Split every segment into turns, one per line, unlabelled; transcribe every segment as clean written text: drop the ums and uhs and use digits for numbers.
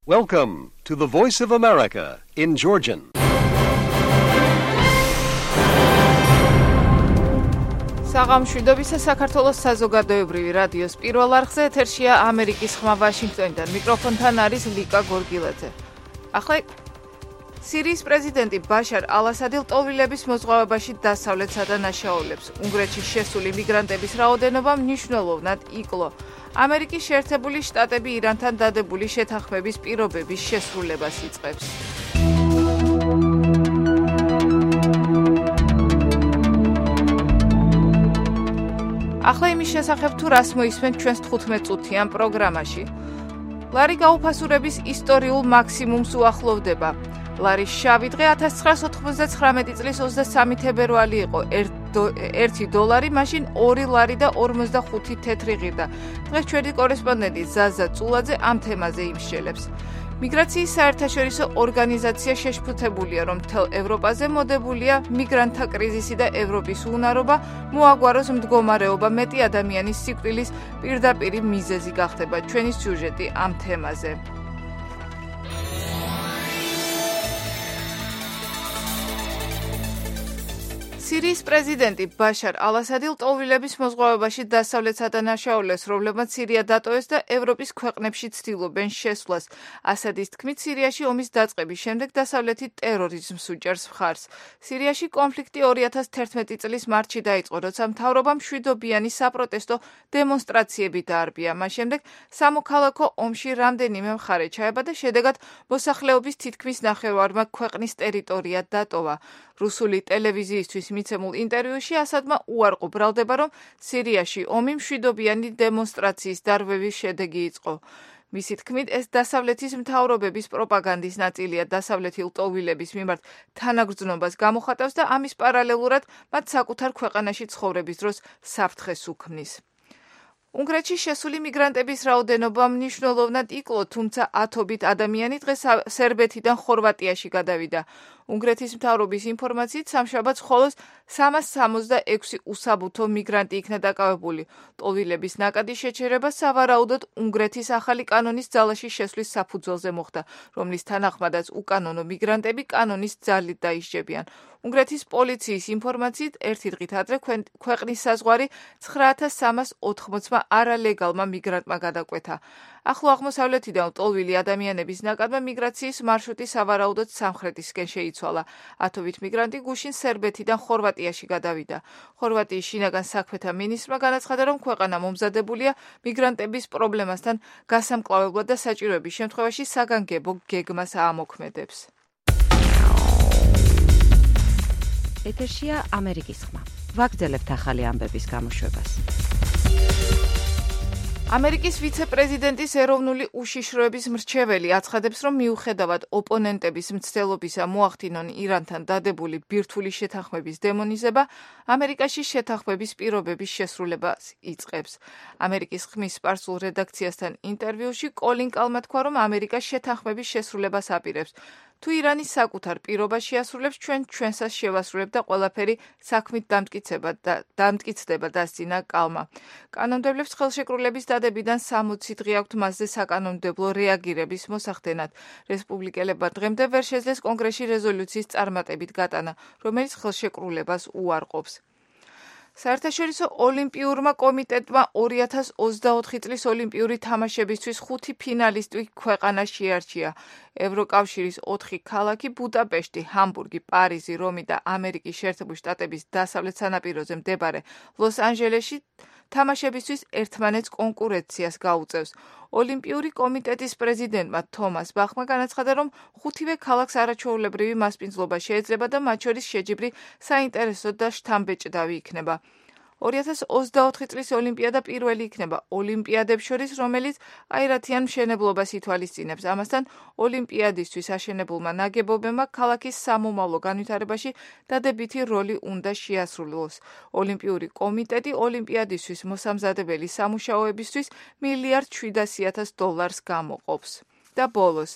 Welcome to the Voice of America in Georgian.
საღამშვიდობისა საქართველოს საზოგადოებრივი რადიოს პირველ არხზე ეთერშია ამერიკის ხმა ვაშინგტონიდან. მიკროფონთან არის ლიკა გორგილაძე. ახლა სირიის პრეზიდენტი ბაშარ ალ-ასადი ლტოლვილების მოზღვავებაში დასავლეთ სადანაშაულებს. უნგრეთში შესული მიგრანტების რაოდენობა მნიშვნელოვნად იკლო. ამერიკის შეერთებული შტატები ირანთან დადებული შეთანხმების პირობების შესრულებას იწყებს. ახლა იმის შესახებ თუ რას მოისმენთ ჩვენს 15 წუთიან პროგრამაში. ლარი გაუფასურების ისტორიულ მაქსიმუმს უახლოვდება. ლარის შავი დღე 1999 წლის 23 თებერვალი იყო. $1 მაშინ 2 ლარი და 45 თეთრი ღირდა. დღეს ჩვენი კორესპონდენტი ზაზა წულაძე ამ თემაზე იმსჯელებს. მიგრაციის საერთაშორისო ორგანიზაცია შეშფოთებულია, რომ მთელ ევროპაზე მოდებულია მიგრანტთა კრიზისი და ევროპის უნარობა მოაგვაროს მდგომარეობა მეტი ადამიანის სიკვდილის პირდაპირი მიზეზი გახდება. ჩვენი სიუჟეტი ამ თემაზე. სირიის პრეზიდენტი ბაშარ ალ-ასადი ლტოლვილების მოზღვავებაში დასავლეთ სადანაშაულებს, რომლებმაც სირია დატოვეს და ევროპის ქვეყნებში ცდილობენ შესვლას. ასადის თქმით, სირიაში ომის დაწყების შემდეგ დასავლეთი ტერორიზმს უჭერს მხარს. სირიაში კონფლიქტი 2011 წლის მარტში დაიწყო, როცა მთავრობამ მშვიდობიანი საპროტესტო დემონსტრაციები დაარბია. მას შემდეგ სამოქალაქო ომში რამდენიმე მხარე ჩაება და შედეგად მოსახლეობის თითქმის ნახევარმა ქვეყნის ტერიტორია დატოვა. რუსული ტელევიზიისთვის მიცემულ ინტერვიუში ასადმა უარყო ბრალდება, რომ სირიაში ომი მშვიდობიანი დემონსტრაციის დარღვევის შედეგი იყო. მისი თქმით, ეს დასავლეთის მთავრობების პროპაგანდის ნაწილია დასავლეთი ლტოლვილების მიმართ თანაგრძნობას გამოხატავს და ამის პარალელურად მათ საკუთარ ქვეყანაში ცხოვრების დროს საფრთხეს უქმნის. უნგრეთში შესული მიგრანტების რაოდენობა მნიშვნელოვნად იკლო, თუმცა ათობით ადამიანი დღეს სერბეთიდან ხორვატიაში გადავიდა. უნგრეთის მთავრობის ინფორმაციით სამშაბათს მხოლოდ 366 უსაბუთო მიგრანტი იქნა დაკავებული. ლტოლვილების ნაკადი შეჩერება სავარაუდოდ უნგრეთის ახალი კანონის ძალაში შესვლის საფუძველზე მოხდა, რომლის თანახმადაც უკანონო მიგრანტები კანონის ძალით დაისჯებიან. უნგრეთის პოლიციის ინფორმაციით ერთი დღით ადრე ქვეყნის საზღვარი 9380-მა არალეგალმა მიგრანტმა გადაკვეთა. ახლო აღმოსავლეთიდან ლტოლვილი ადამიანების ნაკადმა მიგრაციის მარშრუტი სავარაუდოდ სამხრეთისკენ შეიცვალა. ათობით მიგრანტი გუშინ სერბეთიდან ხორვატიაში გადავიდა. ხორვატიის შინაგან საქმეთა მინისტრმა განაცხადა, რომ ქვეყანა მომზადებულია მიგრანტების პრობლემასთან გასამკლავებლად და საჭიროების შემთხვევაში საგანგებო გეგმას აამოქმედებს.
ეთერშია ამერიკის ხმა. ვაგრძელებთ ახალი ამბების გამოშვებას.
ამერიკის ვიცე-პრეზიდენტის ეროვნული უშიშროების მრჩეველი აცხადებს, რომ მიუხედავად ოპონენტების მცდელობისა მოახდინონ ირანთან დადებული ბირთვული შეთანხმების დემონიზება, ამერიკაში შეთანხმების პირობების შესრულებას იწყებს. ამერიკის ხმის სპარსულ რედაქციასთან ინტერვიუში კოლინ კალმა თქვა, რომ ამერიკა შეთანხმების შესრულებას აპირებს. თუ ირანი საკუთარ პირობას შეასრულებს, ჩვენსაც შევასრულებ და ყველაფერი საქმით დამტკიცდება, დასძინა კალმა. კანონმდებლებს ხელშეკრულების დადებიდან 60 დღე აქვთ მასზე საკანონმდებლო რეაგირების მოსახდენად. რესპუბლიკელებმა დღემდე ვერ შეძლეს კონგრესში რეზოლუციის წარმატებით გატანა, რომელიც ხელშეკრულებას უარყოფს. საერთაშორისო ოლიმპიურმა კომიტეტმა 2024 წლის ოლიმპიური თამაშებისთვის 5 ფინალისტი ქვეყანა შეარჩია. ევროკავშირის 4 ქალაქი ბუდაპეშტი, ჰამბურგი, პარიზი, რომი და ამერიკის შეერთებული შტატების დასავლეთ სანაპიროზე მდებარე ლოს-ანჯელესში თამაშებისთვის ერთმანეთს კონკურენციას გაუწევს. ოლიმპიური კომიტეტის პრეზიდენტმა თომას ბახმა განაცხადა, რომ 5-ვე ქალაქს არაჩვეულებრივი მასპინძლობა შეეძლება და მათ შორის შეჯიბრი საინტერესო და შთამბეჭდავი იქნება. 2024 წლის ოლიმპიადა პირველი იქნება ოლიმპიადებს შორის, რომელიც აირათიან მშენებლობას ითვალისწინებს. ამასთან ოლიმპიადისთვის აშენებულმა ნაგებობებმა ქალაქის სამომავლო განვითარებაში დადებითი როლი უნდა შეასრულოს. ოლიმპიური კომიტეტი ოლიმპიადისთვის მოსამზადებელი სამუშაოებისთვის $1,700,000 გამოყოფს. და ბოლოს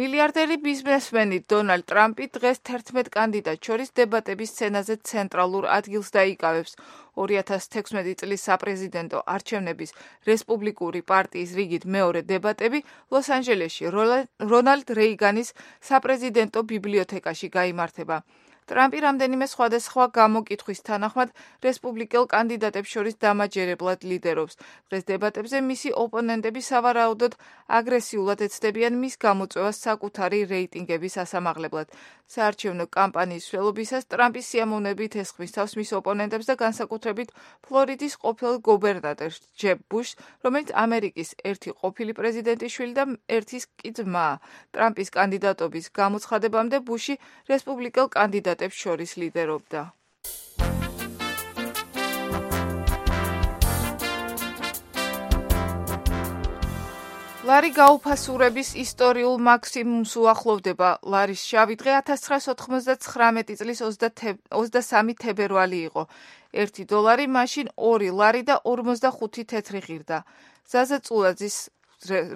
მილიარდერი ბიზნესმენი დონალდ ტრამპი დღეს 11 კანდიდატს შორის დებატების სცენაზე ცენტრალურ ადგილს დაიკავებს. 2016 წლის საპრეზიდენტო არჩევნების რესპუბლიკური პარტიის რიგით მეორე დებატები ლოს-ანჯელესში რონალდ რეიგანის საპრეზიდენტო ბიბლიოთეკაში გაიმართება. ტრამპი რამდენიმე სხვადასხვა გამოკითხვის თანახმად რესპუბლიკელ კანდიდატებს შორის დამაჯერებლად ლიდერობს. დღეს დებატებზე მისი ოპონენტები სავარაუდოდ აგრესიულად ეცდებიან მის გამოწვევას საკუთარი რეიტინგების ასამაღლებლად. საარჩევნო კამპანიის მსვლელობისას ტრამპის სიამოვნებით ესხმის თავს მის ოპონენტებს და განსაკუთრებით ფლორიდის ყოფილ გუბერნატორს ჯებ ბუშს, რომელიც ამერიკის ერთი ყოფილი პრეზიდენტის შვილი და ერთის კი ძმაა. ტრამპის კანდიდატობის გამოცხადებამდე ბუში რესპუბლიკელ კანდიდატებს შორის ლიდერობდა. ლარი გაუფასურების ისტორიულ მაქსიმუმს უახლოვდება. ლარის შავი დღე 1999 წლის 23 თებერვალი იყო. $1 მაშინ 2 ლარი და 45 თეთრი ღირდა. ზაზა წულაძის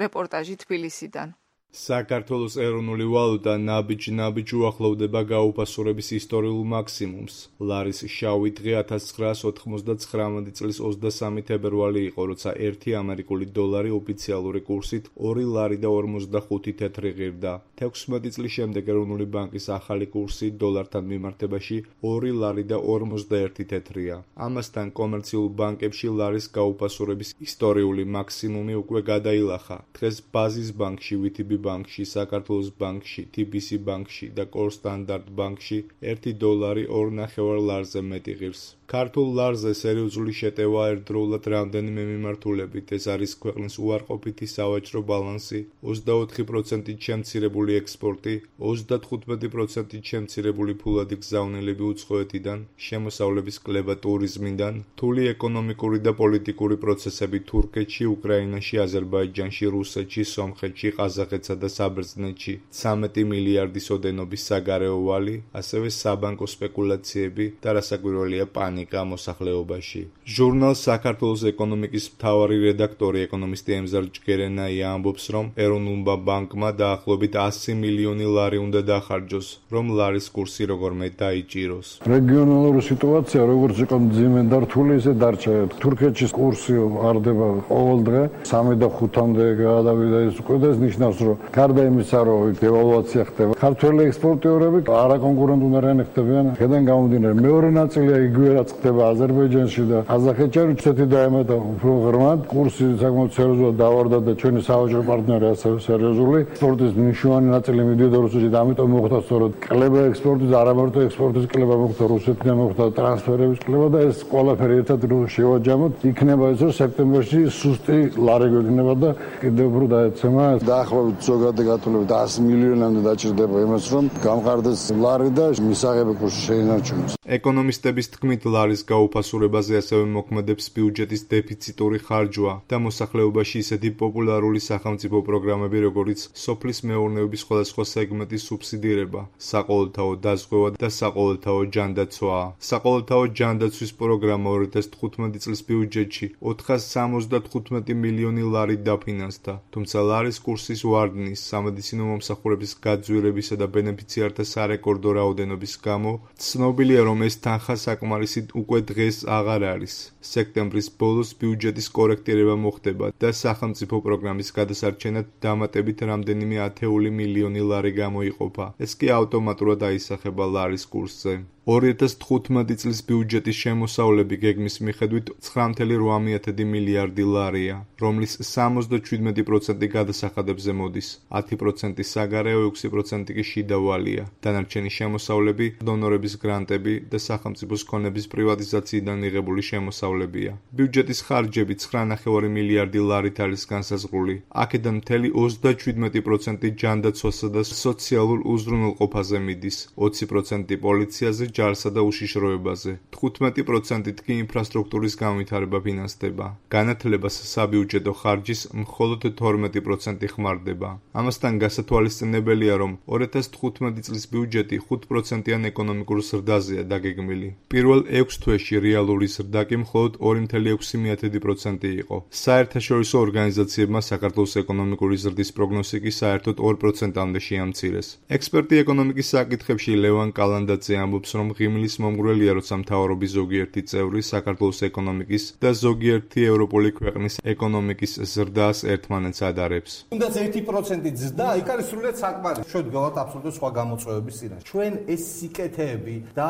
რეპორტაჟი თბილისიდან.
საქართველოს ეროვნული ვალუტა ნაბიჯ უახლოვდება გაუფასურების ისტორიულ მაქსიმუმს. ლარის შავი დღე 1999 წლის 23 თებერვალი იყო, როცა 1 ამერიკული დოლარი ოფიციალური კურსით 2 ლარი და 45 თეთრი ღირდა. 16 წლის შემდეგ ეროვნული ბანკის ახალი კურსი დოლართან მიმართებაში 2 ლარი და 51 თეთრია. ამასთან კომერციულ ბანკებში ლარის გაუფასურების ისტორიული მაქსიმუმი უკვე გადაილახა. დღეს ბაზის ბანკში VTB ბანკში, საქართველოს ბანკში, TBC ბანკში და კორ სტანდარტ ბანკში $1 2.5 ლარზე მეტი ღირს. ქართულ ლარზე სერიოზული შეტევა ერთდროულად რამდენიმე მიმართულებით. ეს არის ქვეყნის უარყოფითი სავაჭრო ბალანსი, 24% შემცირებული ექსპორტი, 35% შემცირებული ფულადი გზავნილები უცხოეთიდან, შემოსავლების კლება ტურიზმიდან, რთული ეკონომიკური და პოლიტიკური პროცესები თურქეთში, უკრაინაში, აზერბაიჯანში, რუსეთში, სომხეთში, ყაზახეთსა და საბერძნეთში, 13 მილიარდის ოდენობის საგარეო ვალი, ასევე საბანკო სპეკულაციები და რასაკვირველია პანიკა მოსახლეობაში. ჟურნალ საქართველოს ეკონომიკის მთავარი რედაქტორი ეკონომისტი ემზარ ჯგერენაია ამბობს, რომ ეროვნულმა ბანკმა დაახლოებით 100 მილიონი ლარი უნდა დახარჯოს, რომ ლარის კურსი როგორმე დაიჭიროს.
რეგიონალური სიტუაცია როგორც იყო მძიმე და რთული, ისე დარჩა. თურქეთში კურსი არდება ყოველ დღე 3 და 5-მდე გადავიდა. ეს უკვე ეს ნიშნავს, რომ გარდა იმისა, რომ დევალვაცია ხდება, ქართველი ექსპორტიორები არაკონკურენტული უნარიანი ხდებიან. აქედან გამომდინარე, მეორე ნაწილია იგივე რაც ხდება აზერბაიჯანში და ყაზახეთში, რუსეთი დაემატა უფრო ღრმად. კურსი საკმაოდ სერიოზულად დავარდა და ჩვენი სავაჭრო პარტნიორი ასევე სერიოზული. ექსპორტის მნიშვნელოვანი ნაწილი მიდიოდა რუსეთში და ამიტომ მოხდა სწორედ კლება ექსპორტის, არა მარტო ექსპორტის კლება მოხდა, რუსეთიდან მოხდა ტრანსფერების კლება და ეს ყველაფერი ერთად შევაჯამოთ. იქნება ეს, რომ სექტემბერში სუსტი ლარი გვექნება და კიდევ უფრო დაეცემა. დაახლოებით ზოგადი გათვლებით 100 მილიონამდე დაჭირდება იმას, რომ გამყარდეს ლარი და მისაღები კურსი შეინარჩუნოს.
ეკონომისტების თქმით, ლარის გაუფასურებაზე ასევე მოქმედებს ბიუჯეტის დეფიციტური ხარჯვა და მოსახლეობაში ისეთი პოპულარული სახელმწიფო პროგრამები, როგორიც სოფლის მეურნეობის სხვადასხვა სეგმენტის სუბსიდირება, საყოველთაო დაზღვევა და საყოველთაო ჯანდაცვაა. საყოველთაო ჯანდაცვის პროგრამა 2015 წლის ბიუჯეტში 475 მილიონი ლარი დაფინანსდა, თუმცა ლარის კურსის ვარდნის, სამედიცინო მომსახურების გაძვირებისა და ბენეფიციართა სარეკორდო რაოდენობის გამო ცნობილია, რომ ეს თანხა საკმარისი უკვე დღეს აღარ არის. სექტემბრის ბოლოს ბიუჯეტის კორექტირება მოხდება და სახელმწიფო პროგრამის გადასარჩენად დამატებით რამდენიმე 10 მილიონი ლარი გამოიყოფა. ეს კი ავტომატურად აისახება ლარის კურსზე. 2015 წლის ბიუჯეტის შემოსავლები გეგმის მიხედვით 9.8 მილიარდი ლარია, რომლის 77% გადასახადებზე მოდის, 10% საგარეო, 6% კი შიდა ვალია. დანარჩენი შემოსავლები დონორების გრანტები და სახელმწიფოს ქონების პრივატიზაციიდან მიღებული შემოსავლებია. ბიუჯეტის ხარჯები 9.5 მილიარდი ლარით არის განსაზღვრული. აქედან მთელი 37% ჯანდაცვასა და სოციალურ უზრუნველყოფაზე მიდის, 20% პოლიციაზე, ჯარსა და უშიშროებაზე. 15% კი ინფრასტრუქტურის განვითარება ფინანსდება. განათლებას საბიუჯეტო ხარჯის მხოლოდ 12% ხმარდება. ამასთან გასათვალისწინებელია, რომ 2015 წლის ბიუჯეტი 5%-იან ეკონომიკურ ზრდაზეა დაგეგმილი. პირველ 6 თვეში რეალური ზრდა კი მხოლოდ საბოლოოდ 2.6% იყო. საერთაშორისო ორგანიზაციებმა საქართველოს ეკონომიკური ზრდის პროგნოზი კი საერთოდ 2%-მდე შეამცირეს. ექსპერტი ეკონომიკის საკითხებში ლევან კალანდაძე ამბობს, რომ ღიმილის მომგვრელია, როცა მთავრობის ზოგიერთი წევრი საქართველოს ეკონომიკის და ზოგიერთი ევროპული ქვეყნის ეკონომიკის ზრდას ერთმანეთს ადარებს.
თუნდაც 1% ზრდა, იქ არის სრულიად საკმარისი. ჩვენ გვაქვს აბსოლუტურად სხვა გამოწვევების წინაშე. ჩვენ ეს სიკეთეები და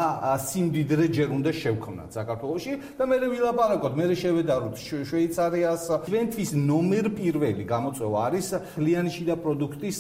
სიმდიდრე ჯერ უნდა შევქმნათ საქართველოში და მე ვილაპარაკოთ, მე შევედაროთ შვეიცარიას. ჩვენთვის ნომერ პირველი გამოწვევა არის მთლიანი შიდა პროდუქტის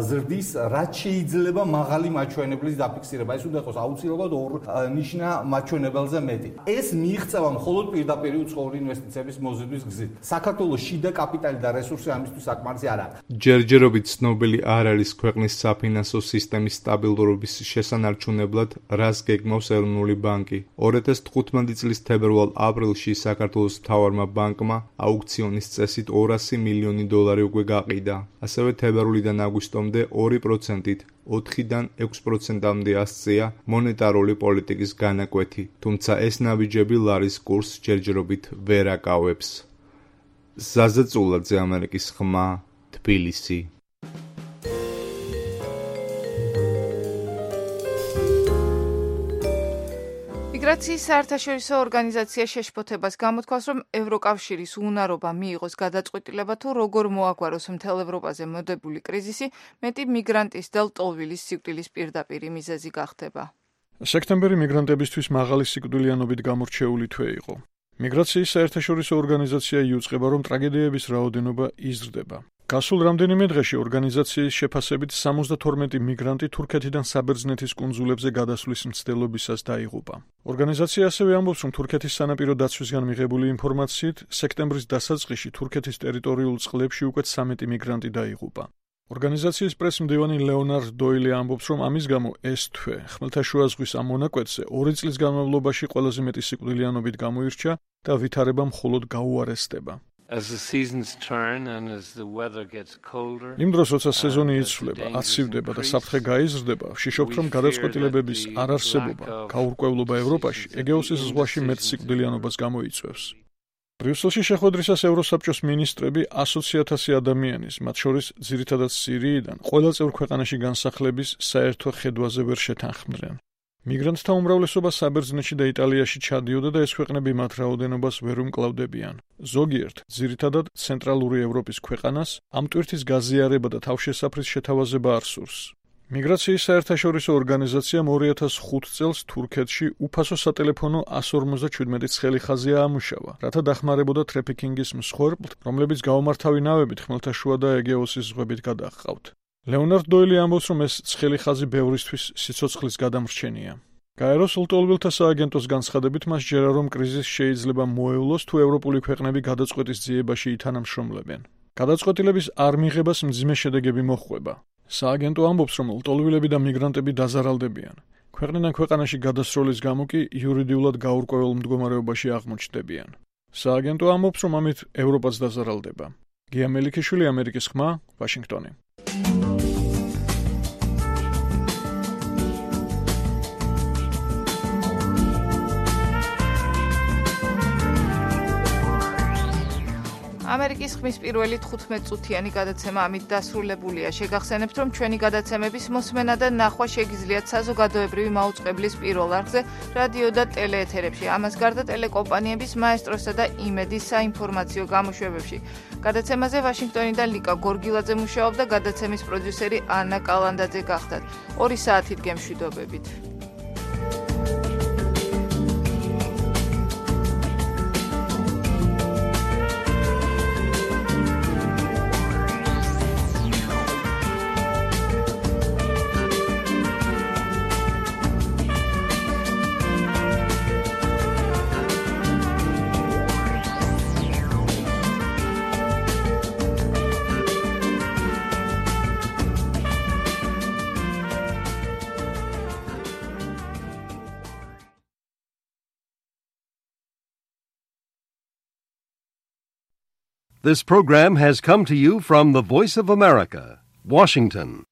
ზრდის რაც შეიძლება მაღალი მაჩვენებლის დაფიქსირება. ეს უნდა იყოს აუცილებლად ორ ნიშნა მაჩვენებელზე მეტი. ეს მიიღწევა მხოლოდ პირდაპირ უცხოური ინვესტიციების მოზიდვის გზით. საქართველოს შიდა კაპიტალი და რესურსი ამისთვის საკმარისი არ არის.
ჯერჯერობით ცნობილი არ არის ქვეყნის საფინანსო სისტემის სტაბილურობის შესანარჩუნებლად, რას გეგმავს ეროვნული ბანკი. 2015 წლის თებერვალ-აპრილში საქართველოს მთავარმა ბანკმა აუქციონის წესით $200 მილიონი უკვე გაყიდა. ასევე თებერვლიდან აგვისტომდე 2%-ით 4-დან 6%-მდე ასწია მონეტარული პოლიტიკის განაკვეთი, თუმცა ეს ნაბიჯები ლარის კურსს ჯერჯერობით ვერ აკავებს. ზაზა წულაძე, ამერიკის ხმა, თბილისი.
მიგრაციის საერთაშორისო ორგანიზაცია შეშფოთებას გამოთქვას, რომ ევროკავშირის უნარობა მიიღოს გადაწყვეტილება თუ როგორ მოაგვაროს მთელ ევროპაზე მოდებული კრიზისი, მეტი მიგრანტის და ლტოლვილის სიკვდილის პირდაპირი მიზეზი გახდება.
სექტემბერი მიგრანტებისთვის მაღალი სიკვდილიანობით გამორჩეული თვე იყო. მიგრაციის საერთაშორისო ორგანიზაცია იუწყება, რომ ტრაგედიების რაოდენობა იზრდება. გასულ რამდენიმე დღეში ორგანიზაციის შეფასებით 72 მიგრანტი თურქეთიდან საბერძნეთის კუნძულებზე გადასვლის მცდელობისას დაიღუპა. ორგანიზაცია ასევე ამბობს, რომ თურქეთის სანაპირო დაცვისგან მიღებული ინფორმაციით, სექტემბრის დასაწყისში თურქეთის ტერიტორიულ წყლებში უკვე 13 მიგრანტი დაიღუპა. ორგანიზაციის პრესმდივანი ლეონარდ დოილი ამბობს, რომ ამის გამო ეს თვე ხმელთაშუა ზღვის ამ მონაკვეთზე 2 წლის განმავლობაში ყველაზე მეტი სიკვდილიანობით გამოირჩა და ვითარება მხოლოდ გაუარესდება. იმ დროს, როცა სეზონი იცვლება, აცივდება და საფრთხე გაიზრდება, ვშიშობთ, რომ გადაწყვეტილებების არარსებობა, გაურკვევლობა ევროპაში ეგეოსის ზღვაში მეტ სიკვდილიანობას გამოიწვევს. ბრიუსელში შეხვედრისას ევროსაბჭოს მინისტრები 100,000 ადამიანის, მათ შორის ძირითადად სირიიდან, ყველა წევრ ქვეყანაში განსახლების საერთო ხედვაზე ვერ შეთანხმდნენ. მიგრანტთა უმრავლესობა საბერძნეთში და იტალიაში ჩადიოდა და ეს ქვეყნები მათ რაოდენობას ვერ უმკლავდებიან. ზოგიერთ, ძირითადად ცენტრალური ევროპის ქვეყანას, ამ ტვირთის გაზიარება და თავშესაფრის შეთავაზება არ სურს. მიგრაციის საერთაშორისო ორგანიზაციამ 2005 წელს თურქეთში უფასო სატელეფონო 157 ცხელი ხაზი აამუშავა, რათა დახმარებოდა ტრაფიკინგის მსხვერპლთ, რომლებიც გაუმართავი ნავებით ხმელთაშუა და ეგეოსის ზღვებით გადაჰყავთ. ლეონარდ დოილი ამბობს, რომ ეს ცხელი ხაზი ბევრისთვის სიცოცხლის გადამრჩენია. გაეროს ლტოლვილთა სააგენტოს განცხადებით მას ჯერა, რომ კრიზისი შეიძლება მოევლოს, თუ ევროპული ქვეყნები გადაწყვეტის ძიებაში ითანამშრომლებენ. გადაწყვეტილების არ მიღებას მძიმე შედეგები მოჰყვება. სააგენტო ამბობს, რომ ლტოლვილები და მიგრანტები დაზარალდებიან. ქვეყნიდან ქვეყანაში გადასროლის გამო კი იურიდიულად გაურკვეველ მდგომარეობაში აღმოჩნდებიან. სააგენტო ამბობს, რომ ამით ევროპაც დაზარალდება. გია მელიქიშვილი, ამერიკის ხმა, ვაშინგტონი.
ამერიკის ხმის პირველი 15-წუთიანი გადაცემა ამით დასრულებულია. შეგახსენებთ, რომ ჩვენი გადაცემების მოსმენა და ნახვა შეგიძლიათ საზოგადოებრივი მაუწყებლის პირველ არხზე, რადიო და ტელეეთერებში. ამას გარდა ტელეკომპანიების მაესტროსა და იმედის საინფორმაციო გამოშვებებში. გადაცემაზე ვაშინგტონიდან ლიკა გორგილაძე მუშაობდა, გადაცემის პროდიუსერი ანა კალანდაძე გახდათ. 2 საათით გემშვიდობებით.
This program has come to you from the Voice of America, Washington.